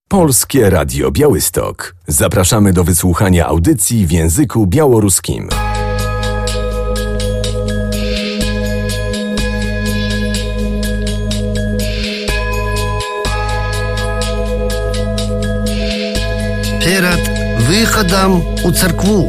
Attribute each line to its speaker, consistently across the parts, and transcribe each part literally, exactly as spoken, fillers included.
Speaker 1: Polskie Radio Białystok. Zapraszamy do wysłuchania audycji w języku białoruskim.
Speaker 2: Перед выходом у церкву.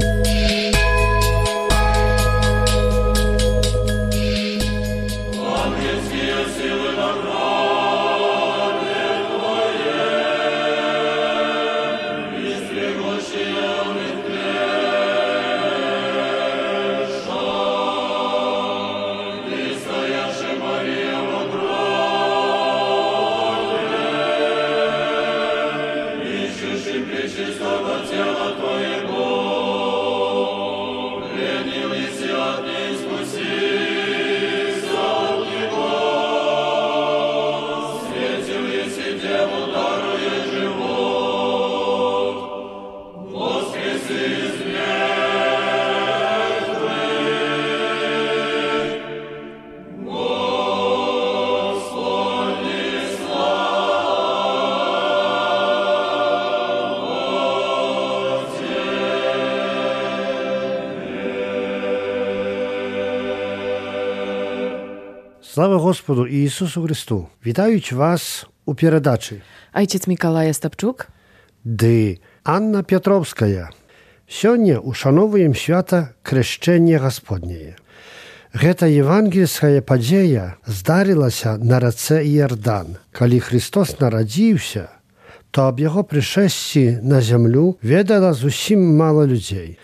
Speaker 3: Слава Господу Ісусу Христу! Вітають вас у передачі.
Speaker 4: Ojciec Mikołaj Stapczuk.
Speaker 3: Dy Anna Piotrowska. Сёння ушановуем свята Крещення Господнее. Гэта евангельская падзея здарылася на рацэ Іордан. Калі Христос нарадзіўся, то аб яго прышэсці на зямлю ведала зусім мала людзей.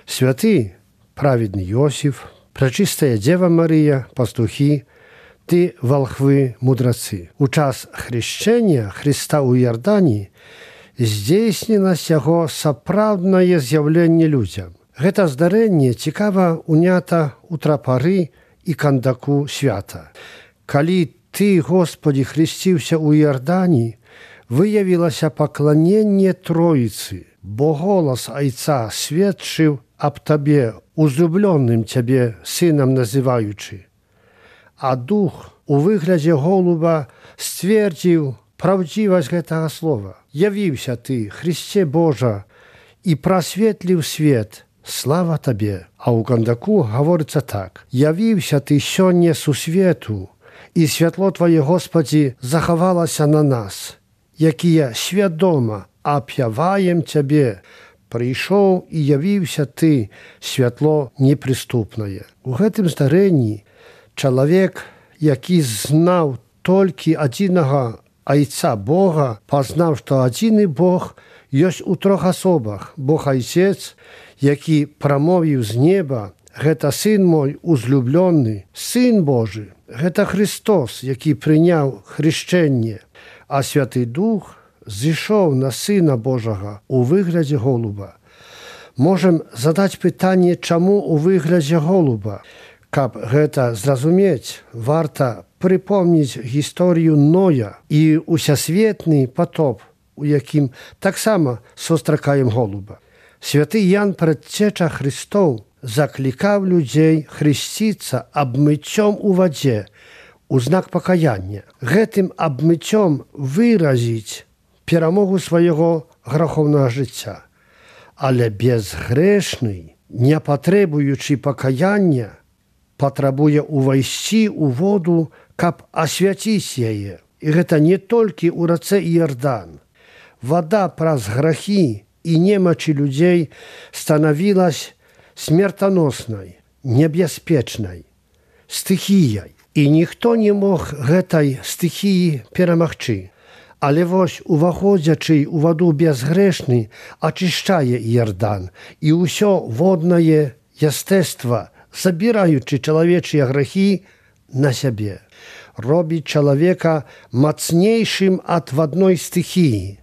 Speaker 3: Святы праведны Йосіф, пречистая Дева Марія, пастухі, ты волхвы мудрацы. У час хрещення Христа ў Іордані здзейснілася яго сапраўднае з'яўленне людзям. Гэта здарэнне цікава унята ў трапары і кандаку свята. Калі ты, Господі, хресціўся ў Іордані, выявілася пакланенне Троіцы, бо голас Айца сведчыў аб табе, узлюблёным цябе сынам называючы. А дух у выглядзе голуба сцвердзіў праўдзівасць гэтага слова. Явіўся ты, Христе Божа, і прасветліў свет. Слава табе. А ў кандаку гаворыцца так. Явіўся ты сёння сусвету, і святло твае, Господі, захавалася на нас, якія свядома апяваем цябе. Прыйшоў і явіўся ты, святло непрыступнае. У гэтым здарэнні чалавек, які знаў толькі адзінага Айца Бога, пазнаў, што адзіны Бог ёсць у трох асобах. Бог Айцец, які прамовіў з неба, гэта Сын мой узлюблённы, Сын Божы. Гэта Христос, які прыняў хрышчэнне, а Святы Дух зышоў на Сына Божага у выглядзе голуба. Можам задаць пытанне, чаму у выглядзе голуба? Каб гэта зразумець, варта прыпомніць гісторыю Ноя і усесветны потоп, у якім таксама сустракаем голуба. Святы Ян, прадцеча Христоў, заклікаў людзей хрысціцца абмыццём у вадзе у знак пакаяння. Гэтым абмыццём выразіць перамогу свайго грахоўнага жыцця. Але безгрэшны, не патребуючы пакаяння, патрабуе ўвайсці ў воду, каб асвяціць яе. І гэта не толькі ў рацэ Іордан. Вада праз грахі і немачы людзей станавілась смертаноснай, небяспечнай, стыхіяй. І ніхто не мог гэтай стыхіі перамагчы. Але вось уваходзячы ў ваду безгрэшны ачышчае Іордан, і ўсё воднае ястэства, забіраючы чалавечыя грахі на сябе, робіць чалавека мацнейшым ад вадной стыхіі,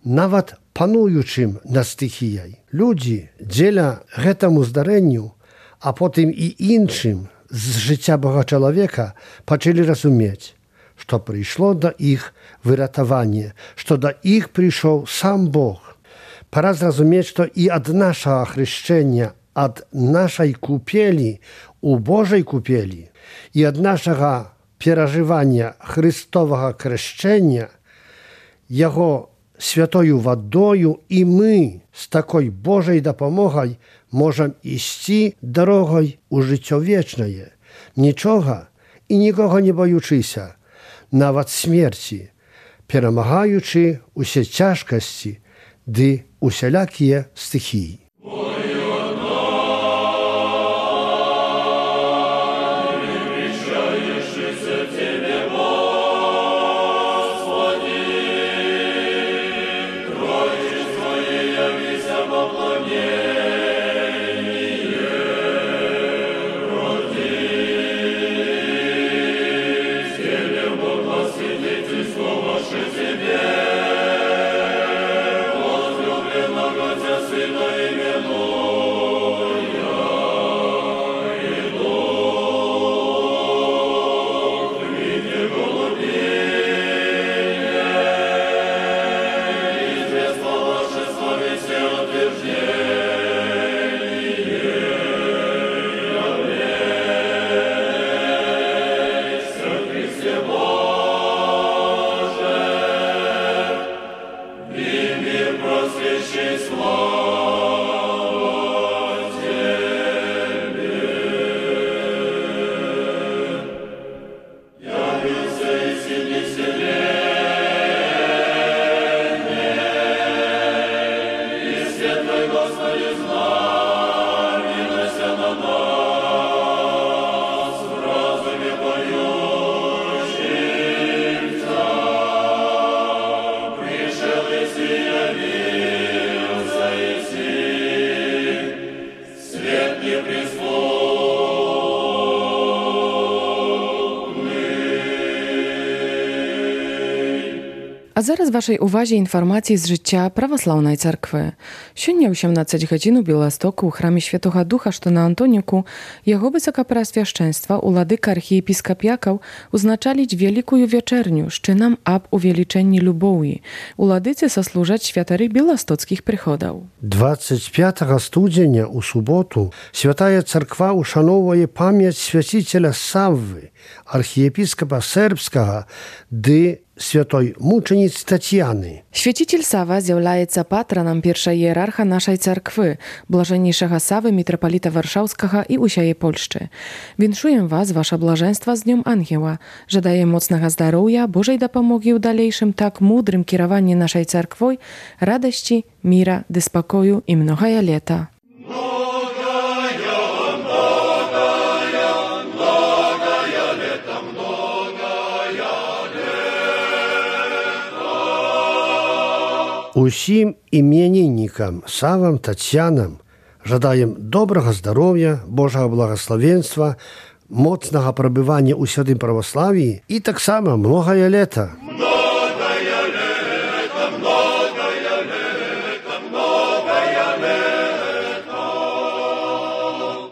Speaker 3: нават пануючым над стыхіяй. Людзі дзеля гэтаму здарэнню, а потым і іншым з жыцця Бога чалавека пачалі разумець, што прыйшло да іх выратаванне, што да іх прыйшоў сам Бог. Пара зразумець, што і ад нашага хрышчэння, ад нашай купелі у Божай купелі і ад нашага перажывання Христовага крышчэння, яго святою водою, і ми з такою Божою допомогою можемо йти дорогою у життя вічне, нічого і нікого не боючися, навіть смерті, перемагаючи усі тяжкості, ди усілякі стихії.
Speaker 4: А зараз вашій увазі інформації з життя Православної церкви. Сьогодні о сімнадцятій годині у Білостоку у храмі Świętego Ducha, що на Антоніку, його високопреосвященства уладика архієпіскопяків узначалить великую вечерню з чином об увеличенні любові. Уладиці сослужать святари білостоцьких приходів.
Speaker 3: двадцять п'ятого студня у суботу Святая Церква ушановує пам'ять святителя Савви, архієпископа сербського, ди святой мучениц Тетяни.
Speaker 4: Święciciel Sawa zjawляється патроном pierwszej hierarcha naszej cerkwy, blażenniejszego Sawy, mitropolita Warszawskiego i usiaje Polszczy. Winszuję was, wasza blażeństwa z Dniem Anioła, że daje mocnego zdrowia, Bożej dopomogi w dalejszym tak mądrym kierowaniu naszej cerkwi, radości, mira, spokoju i mnoga lata.
Speaker 3: Усім іменинникам, Савам, Тетянам жадаем доброго здоров'я, Божого благословенства, моцного пробивання у святым православии и так само многое лето.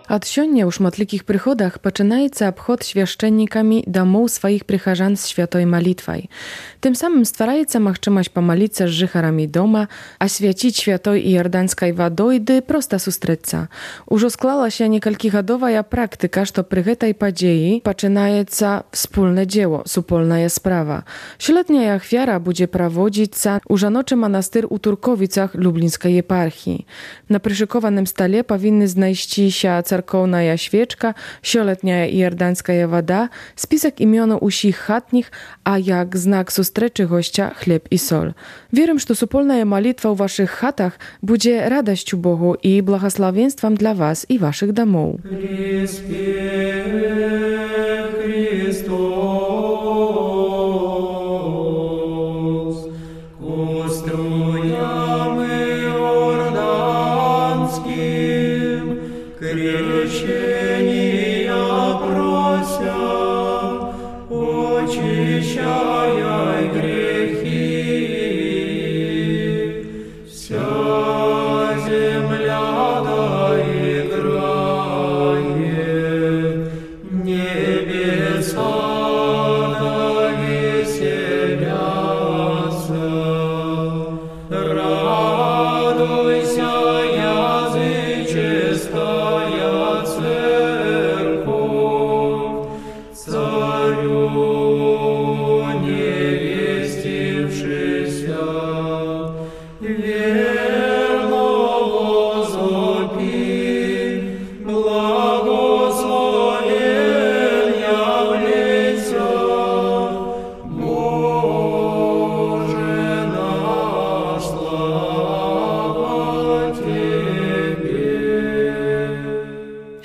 Speaker 4: Od сёння ў шматлікіх прыходах пачынаецца абход свяшчэннікамі дамоў сваіх прыхажан з святой малітвай. Тым самым ствараецца магчымасць памаліцца з жыхарамі дома, асвяціць святой іорданскай вадой ды проста сустрэцца. Ужо склалася некалькігадовая практыка, што пры гэтай падзеі пачынаецца wspólne dzieło, супольная справа. Сёлетняя ахвяра будзе праводзіцца ў жаночы манастыр у Турковіцах Люблінскай епархіі. На прышыкованым стале павінны знайсціся церковная świeczka, сёлетняя іорданская вода, список імёнаў усіх хатніх, а як знак сустрэчы госця хлеб і соль. Верым, што супольная малітва ў вашых хатах будзе радасцю Богу і благословенствам для вас і вашых дамоў.
Speaker 5: Царю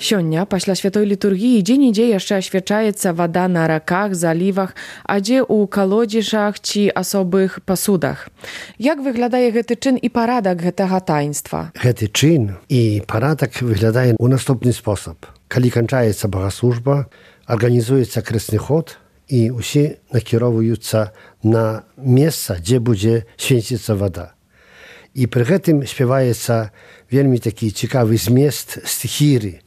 Speaker 4: Сёння, пасля святой літургіі, дзе-нідзе яшчэ асвячаецца вада на раках, залівах, а дзе ў калодзежах ці асобых пасудах. Як выглядае гэты чын і парадак гэтага таінства?
Speaker 3: Гэты чын і парадак выглядае ў наступны спосаб. Калі канчаецца багаслужба, арганізуецца крэсны ход, і ўсе накіроўваюцца на месца, дзе будзе свяціцца вада. І пры гэтым спяваецца вельмі такі цікавы змест стихіры.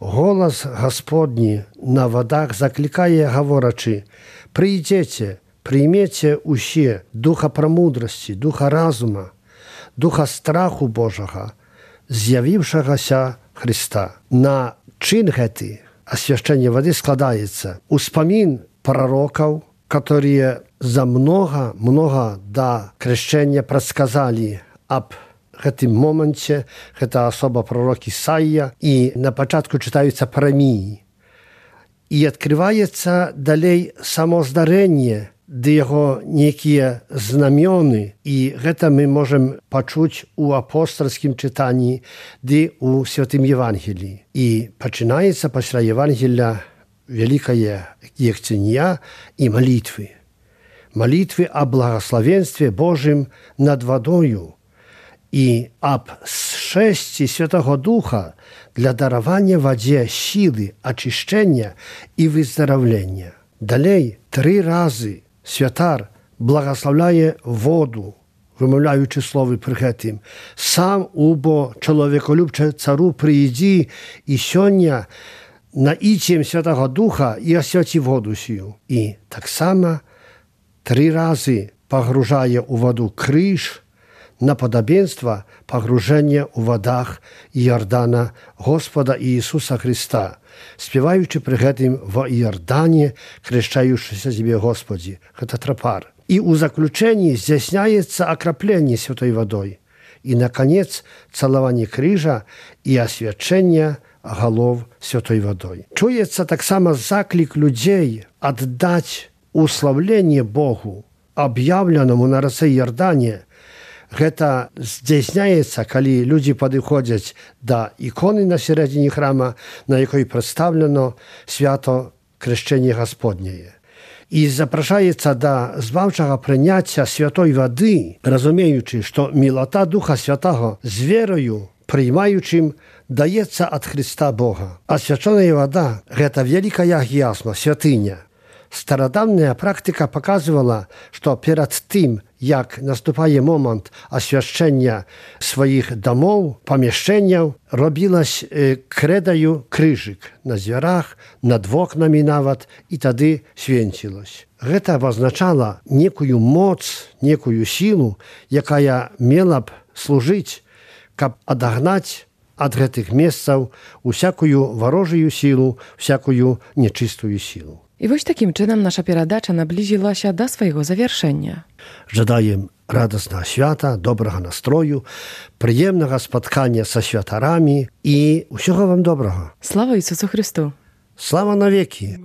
Speaker 3: Голас Гасподні на вадах заклікае, гаворачы: «Прыйдзеце, прыймеце ўсе духа прамудрасці, духа разума, духа страху Божага, з'явіўшагася Христа». На чын гэты асвяшчэнне вады складаецца успамін пророкаў, которые за много-много да крещення предсказали об гэтым моменце. Гэта асоба пророк Ісаія, і на пачатку чытаюцца праміі. І адкрываецца далей само здарэнне, ды яго нейкія знамёны, і гэта мы можам пачуць у апостальскім чытанні ды у святым Евангеліі. І пачынаецца пасля Евангелія великая ехцения и молитвы. Молитвы о благословенстве Божьем над водою и об сшествии Святого Духа для дарования воде силы, очищения и выздоровления. Далей три разы святар благословляє воду, вимовляючи слово при гэтым: «Сам убо чоловіколюбче цару приїді, і сьогодні наїтім Святого Духа і освяті воду сію». І так само три рази погружає у воду криж на подобенство погруження у водах Йордана Господа Ісуса Христа, співаючи при гэтым в Йордані, крещаючися себе Господі. Гэта тропар. И у заключении здійсняється окропление святой водой. И, наконец, целование крижа и освячение голов святой водой. Чуется так само заклик людей отдать уславление Богу, объявленному на реце Йордане. Гэта здійсняється, коли люди подходят до иконы на середине храма, на якой представлено свято крещение Господнее. І запрошається до збавчого прийняття святої води, розуміючи, що милота Духа Святого з вірою, приймаючим, дається від Христа Бога. А свячена вода – це велика ясма, святиня. Стародавня практика показувала, що перед тим, як наступає момент освящення своїх домов, поміщень, робилось кредою крижик на дверях, над окнами навіть, і тоді свінчилось. Це означало некую моц, некую силу, яка мала б служити, щоб одогнати від гэтых месцаў усякую ворожую силу, всякую нечистую силу.
Speaker 4: І вось такім чынам наша перадача наблизілася да свайго завяршэння.
Speaker 3: Жадаем радостного свята, доброго настрою, приємного споткання со святарами і усього вам доброго.
Speaker 4: Слава Ісусу Христу!
Speaker 3: Слава навеки!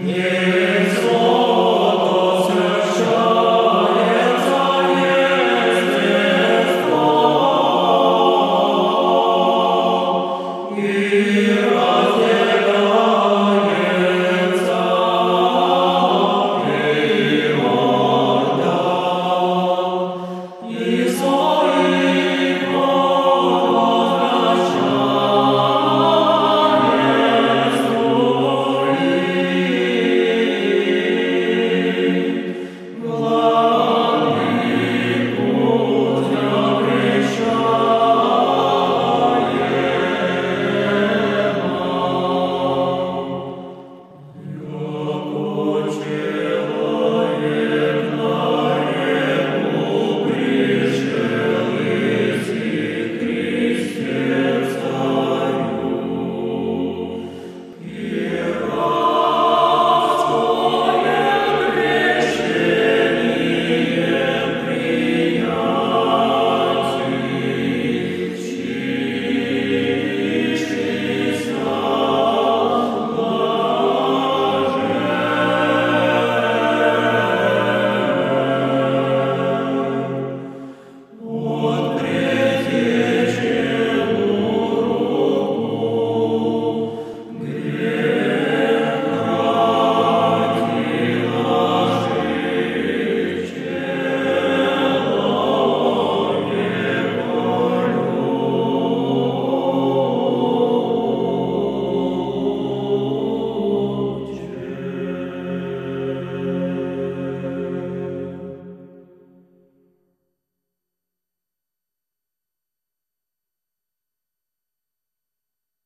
Speaker 5: Yeah.